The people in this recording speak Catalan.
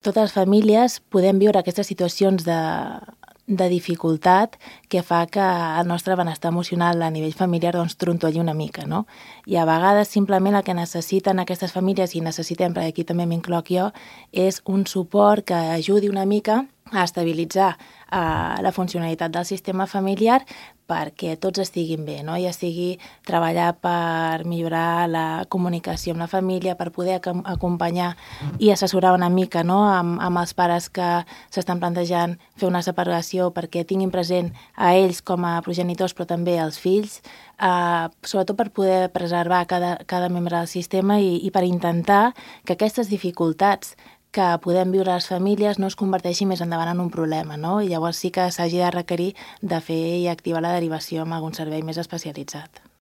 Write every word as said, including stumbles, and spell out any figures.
Totes les famílies podem viure aquestes situacions de, de dificultat que fa que el nostre benestar emocional a nivell familiar doncs, trontolli una mica, no? I a vegades simplement el que necessiten aquestes famílies, i necessitem, perquè aquí també m'incloc jo, és un suport que ajudi una mica a estabilitzar eh, la funcionalitat del sistema familiar perquè tots estiguin bé, no? Ja sigui treballar per millorar la comunicació amb la família, per poder ac acompanyar i assessorar una mica, no? amb, amb els pares que s'estan plantejant fer una separació perquè tinguin present a ells com a progenitors, però també als fills, eh, sobretot per poder preservar cada, cada membre del sistema i, i per intentar que aquestes dificultats que podem viure a les famílies no es converteixi més endavant en un problema, no? I llavors sí que s'hagi de requerir de fer i activar la derivació amb algun servei més especialitzat.